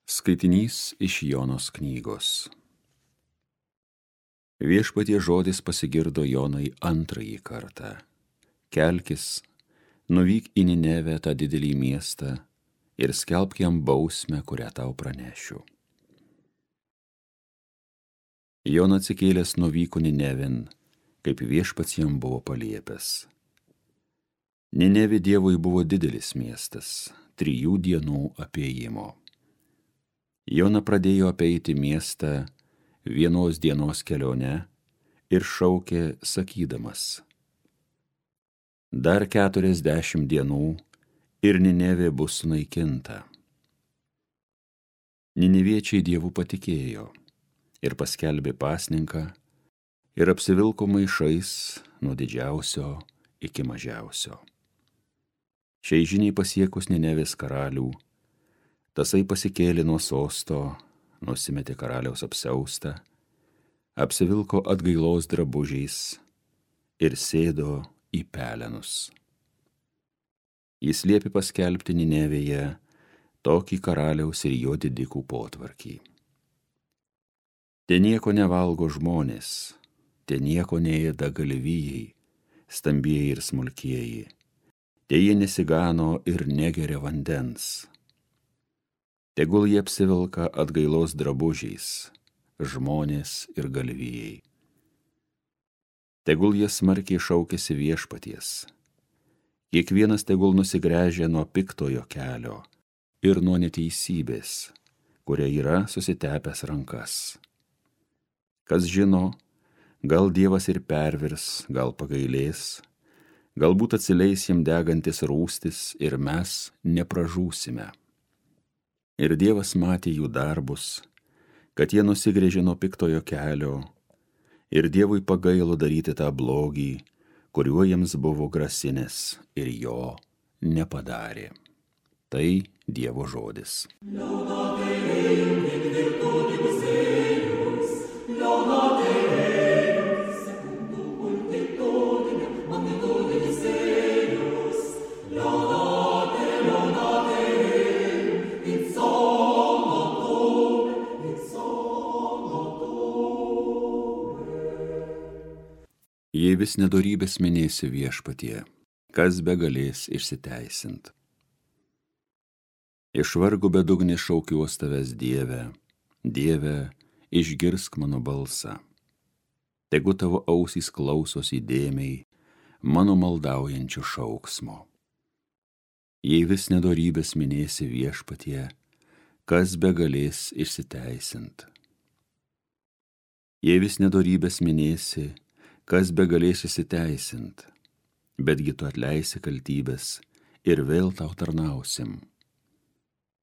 Skaitinys iš Jonos knygos. Viešpaties žodis pasigirdo Jonai antrąjį kartą. Kelkis, nuvyk į Ninevę, tą didelį miestą, ir skelbk jam bausmę, kurią tau pranešiu. Jona atsikėlęs nuvyko Ninevėn, kaip viešpats jam buvo paliepęs. Ninevė Dievui buvo didelis miestas, 3 dienų apėjimo. Jona pradėjo apeiti miestą 1 dienos kelionę ir šaukė, sakydamas: dar 40 dienų ir Ninevė bus sunaikinta. Nineviečiai Dievu patikėjo ir paskelbė pasninką ir apsivilko maišais nuo didžiausio iki mažiausio. Šiai žiniai pasiekus Ninevės karalių, tasai pasikėlė nuo sosto, nusimetė karaliaus apsiaustą, apsivilko atgailos drabužiais ir sėdo į pelenus. Jis liepė paskelbti Ninevėje tokį karaliaus ir jo didikų potvarkį. Te nieko nevalgo žmonės, te nieko neėda galvijai, stambieji ir smulkieji, te jie nesigano ir negeria vandens. Tegul jie apsivilka atgailos drabužiais, žmonės ir galvijai. Tegul jie smarkiai šaukiasi viešpaties. Kiekvienas tegul nusigręžia nuo piktojo kelio ir nuo neteisybės, kuria yra susitepęs rankas. Kas žino, gal Dievas ir pervirs, gal pagailės, galbūt atsileis jam degantis rūstis ir mes nepražūsime. Ir Dievas matė jų darbus, kad jie nusigręžė nuo piktojo kelio, ir Dievui pagailo daryti tą blogį, kuriuo jiems buvo grasinęs, ir jo nepadarė. Tai Dievo žodis. Jei vis nedorybės minėsi viešpatie, kas begalės išsiteisint. Iš vargų bedugnį šaukiuos tavęs, Dieve, Dieve, išgirsk mano balsą. Tegu tavo ausys klausos įdėmiai mano maldaujančių šauksmo. Jei vis nedorybės minėsi viešpatie, kas begalės išsiteisint. Jei vis nedorybės minėsi, kas begalės išsiteisint, betgi tu atleisi kaltybės ir vėl tau tarnausim.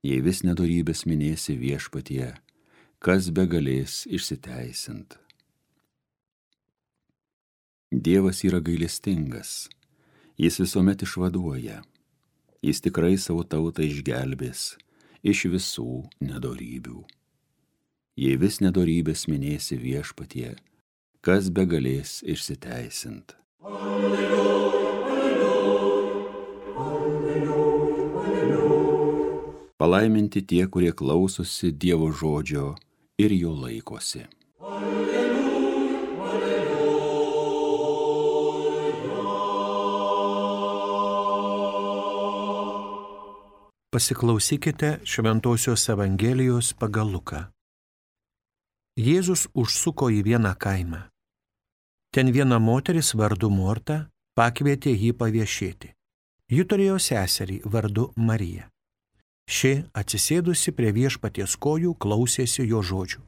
Jei vis nedorybės minėsi viešpatie, kas begalės išsiteisint. Dievas yra gailestingas, jis visuomet išvaduoja, jis tikrai savo tautą išgelbės iš visų nedorybių. Jei vis nedorybės minėsi viešpatie, kas begalės išsiteisint. Alleluja, alleluja, alleluja, alleluja. Palaiminti tie, kurie klausosi Dievo žodžio ir jo laikosi. Alleluja, alleluja. Pasiklausykite Šventosios Evangelijos pagal Luką. Jėzus užsuko į vieną kaimą. Ten viena moteris vardu Morta pakvietė jį paviešėti. Ji turėjo seserį vardu Marija. Ši, atsisėdusi prie viešpaties kojų, klausėsi jo žodžių.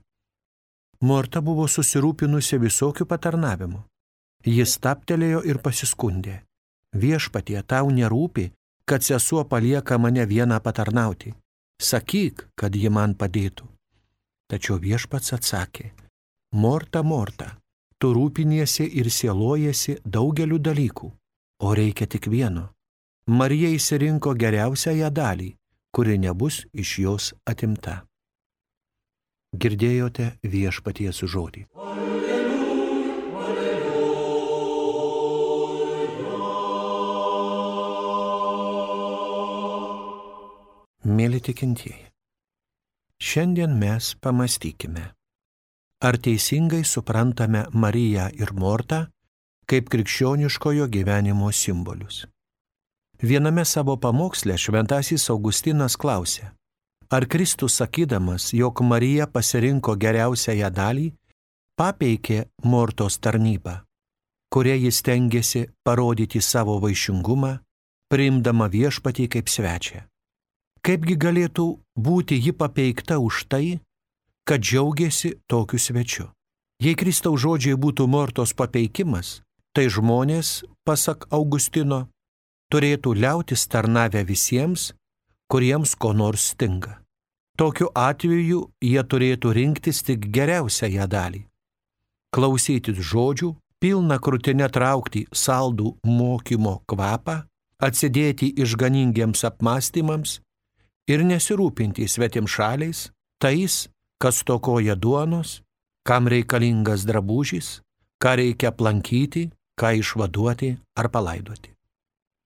Morta buvo susirūpinusi visokių patarnavimų. Jis stabtelėjo ir pasiskundė: viešpatie, tau nerūpi, kad sesuo palieka mane vieną patarnauti. Sakyk, kad ji man padėtų. Tačiau viešpats atsakė: Morta, Morta, tu rūpiniesi ir sielojasi daugeliu dalykų, o reikia tik vieno. Marija išsirinko geriausiąją dalį, kuri nebus iš jos atimta. Girdėjote viešpaties žodį. Alleluja, alleluja. Mėly tikintieji, Šiandien mes pamastykime, ar teisingai suprantame Mariją ir Mortą kaip krikščioniškojo gyvenimo simbolius. Viename savo pamoksle šventasis Augustinas klausė, ar Kristus sakydamas, jog Marija pasirinko geriausiąją dalį, papeikė Mortos tarnybą, kuria jis stengiasi parodyti savo vaišingumą, priimdama viešpatį kaip svečią. Kaipgi galėtų būti ji papeikta už tai, kad džiaugiasi tokiu svečiu? Jei Kristaus žodžiai būtų Mortos papeikimas, tai žmonės, pasak Augustino, turėtų liautis tarnavę visiems, kuriems ko nors stinga. Tokiu atveju jie turėtų rinktis tik geriausiąją dalį. Klausytis žodžių, pilna krūtine traukti saldų mokymo kvapą, atsidėti išganingiems apmąstymams ir nesirūpinti svetimšaliais, tais, kas stokoja duonos, kam reikalingas drabužis, ką reikia aplankyti, ką išvaduoti ar palaidoti.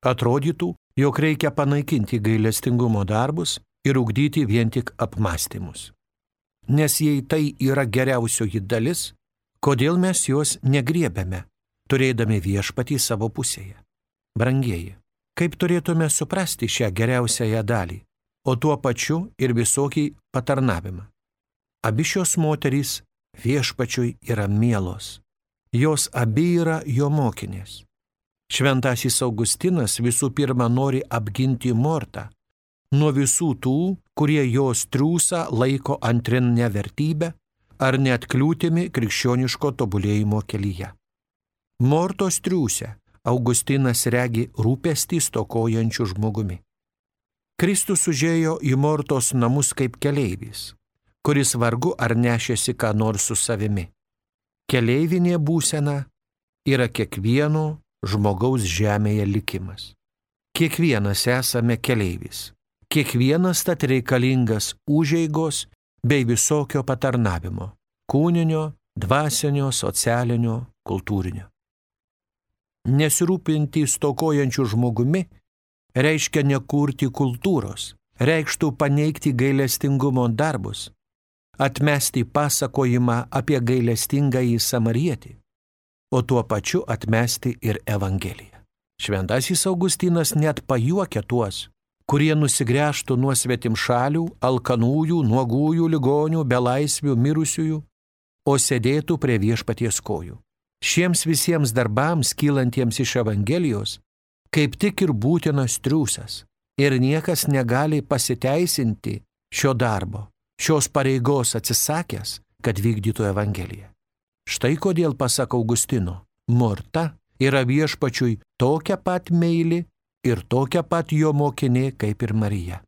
Atrodytų, jog reikia panaikinti gailestingumo darbus ir ugdyti vien tik apmąstymus. Nes jei tai yra geriausioji dalis, kodėl mes jos negriebiame, turėdami viešpatį savo pusėje? Brangieji, kaip turėtume suprasti šią geriausiąją dalį, o tuo pačiu ir visokį patarnavimą? Abi šios moterys viešpačiui yra mielos. Jos abi yra jo mokinės. Šventasis Augustinas visų pirma nori apginti Mortą nuo visų tų, kurie jos triūsą laiko antrinę vertybę ar net kliūtimi krikščioniško tobulėjimo kelyje. Mortos triūsę Augustinas regi rūpestį stokojančių žmogumi. Kristus užėjo į Mortos namus kaip keleivis, kuris vargu ar nešėsi ką nors su savimi. Keleivinė būsena yra kiekvieno žmogaus žemėje likimas. Kiekvienas esame keleivis. Kiekvienas tad reikalingas užeigos bei visokio patarnavimo – kūninio, dvasinio, socialinio, kultūrinio. Nesirūpinti stokojančių žmogumi reiškia nekurti kultūros, reikštų paneigti gailestingumo darbus, atmesti pasakojimą apie gailestingąjį samarietį, o tuo pačiu atmesti ir Evangeliją. Šventasis Augustinas net pajuokia tuos, kurie nusigręžtų nuo svetimšalių, alkanųjų, nuogųjų, ligonių, belaisvių, mirusiųjų, o sėdėtų prie viešpaties kojų. Šiems visiems darbams kylantiems iš Evangelijos kaip tik ir būtinas triūsas, ir niekas negali pasiteisinti šio darbo, šios pareigos atsisakęs, kad vykdytų Evangeliją. Štai kodėl, pasak Augustino, Morta yra viešpačiui tokia pat meili ir tokia pat jo mokinė kaip ir Marija.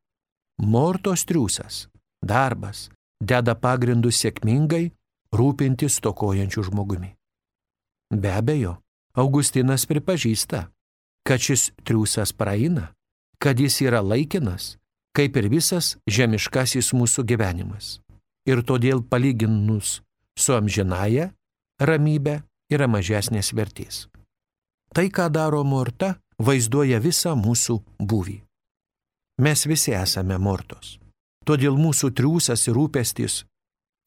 Mortos triūsas, darbas, deda pagrindus sėkmingai rūpintis stokojančių žmogumi. Be abejo, Augustinas pripažįsta, kad šis triūsas praeina, kad jis yra laikinas, kaip ir visas žemiškasis mūsų gyvenimas. Ir todėl palyginus su amžinąja ramybė yra mažesnės vertės. Tai, ką daro Morta, vaizduoja visą mūsų būvį. Mes visi esame Mortos. Todėl mūsų triūsas ir rūpestis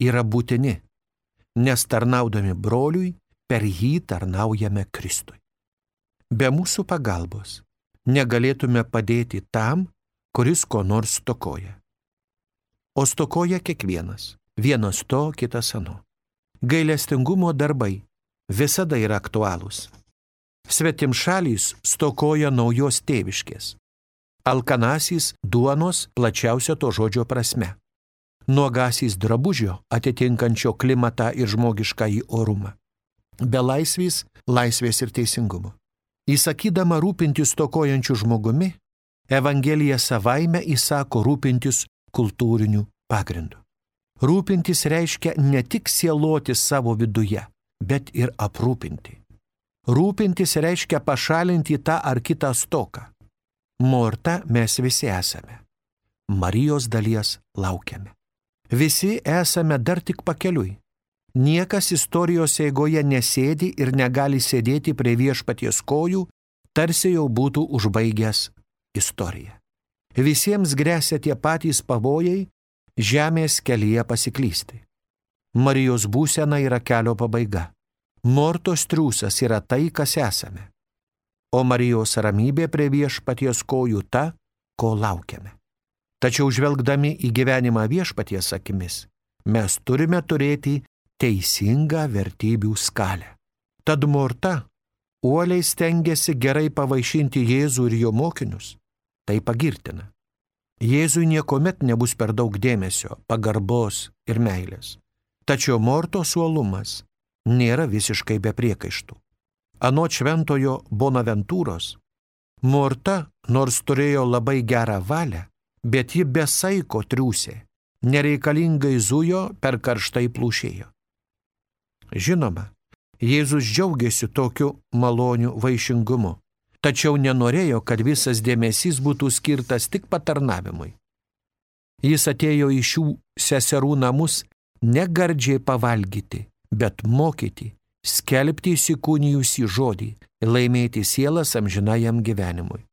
yra būtini, nes tarnaudami broliui, per jį tarnaujame Kristui. Be mūsų pagalbos negalėtume padėti tam, kuris ko nors stokoja. O stokoja kiekvienas, vienas to, kitas ano. Gailestingumo darbai visada yra aktualūs. Svetimšalys stokoja naujos tėviškės. Alkanasis duonos plačiausio to žodžio prasme. Nuogasis drabužio atitinkančio klimatą ir žmogiškąjį orumą. Belaisvis laisvės ir teisingumo. Įsakydama rūpintis stokojančių žmogumi, Evangelija savaime įsako rūpintis kultūriniu pagrindu. Rūpintis reiškia ne tik sieloti savo viduje, bet ir aprūpinti. Rūpintis reiškia pašalinti tą ar kitą stoką. Morta mes visi esame. Marijos dalies laukiame. Visi esame dar tik pakeliui. Niekas istorijos eigoje nesėdi ir negali sėdėti prie viešpaties kojų, tarsi jau būtų užbaigęs istoriją. Visiems gresia tie patys pavojai žemės kelyje pasiklysti. Marijos būsena yra kelio pabaiga. Mortos triūsas yra tai, kas esame. O Marijos ramybė prie viešpaties kojų ta, ko laukiame. Tačiau žvelgdami į gyvenimą viešpaties akimis, mes turime turėti teisingą vertybių skalę. Tad Morta uoliai stengiasi gerai pavaišinti Jėzų ir jo mokinius. Tai pagirtina. Jėzui niekuomet nebus per daug dėmesio, pagarbos ir meilės. Tačiau Mortos uolumas nėra visiškai be priekaištų. Anot šventojo Bonaventūros, Morta, nors turėjo labai gerą valią, bet ji be saiko triūsė, nereikalingai zujo, per karštai plūšėjo. Žinoma, Jėzus džiaugiasi tokiu maloniu vaišingumu, tačiau nenorėjo, kad visas dėmesys būtų skirtas tik patarnavimui. Jis atėjo į šių seserų namus ne gardžiai pavalgyti, bet mokyti, skelbti įsikūnijusį žodį, laimėti sielas amžinajam gyvenimui.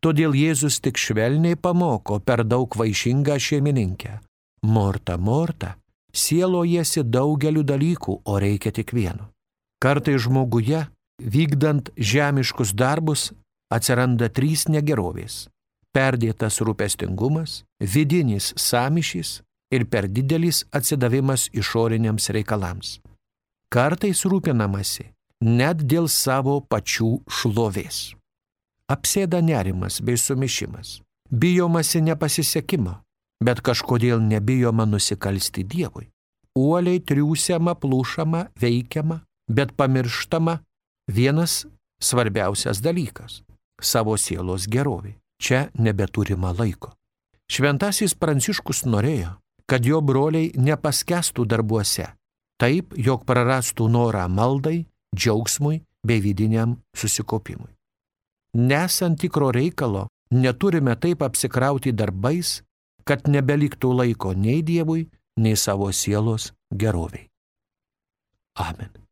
Todėl Jėzus tik švelniai pamoko per daug vaišingą šeimininkę. Morta, Morta, sielojasi daugeliu dalykų, o reikia tik vieno. Kartai žmoguje, vykdant žemiškus darbus, atsiranda 3 negerovės: perdėtas rūpestingumas, vidinis sąmyšis ir per didelis atsidavimas išoriniams reikalams. Kartais rūpinamasi net dėl savo pačių šlovės. Apsėda nerimas bei sumišimas. Bijomasi nepasisekimo, bet kažkodėl nebijoma nusikalsti Dievui. Uoliai triūsiama, plūšama, veikiama, bet pamirštama vienas svarbiausias dalykas – savo sielos gerovė. Čia nebeturima laiko. Šventasis Pranciškus norėjo, kad jo broliai nepaskestų darbuose, taip, jog prarastų norą maldai, džiaugsmui bei vidiniam susikaupimui. Nesant tikro reikalo, neturime taip apsikrauti darbais, kad nebeliktų laiko nei Dievui, nei savo sielos geroviai. Amen.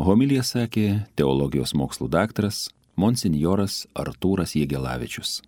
Homiliją sakė teologijos mokslų daktaras monsinjoras Artūras Jegelavičius.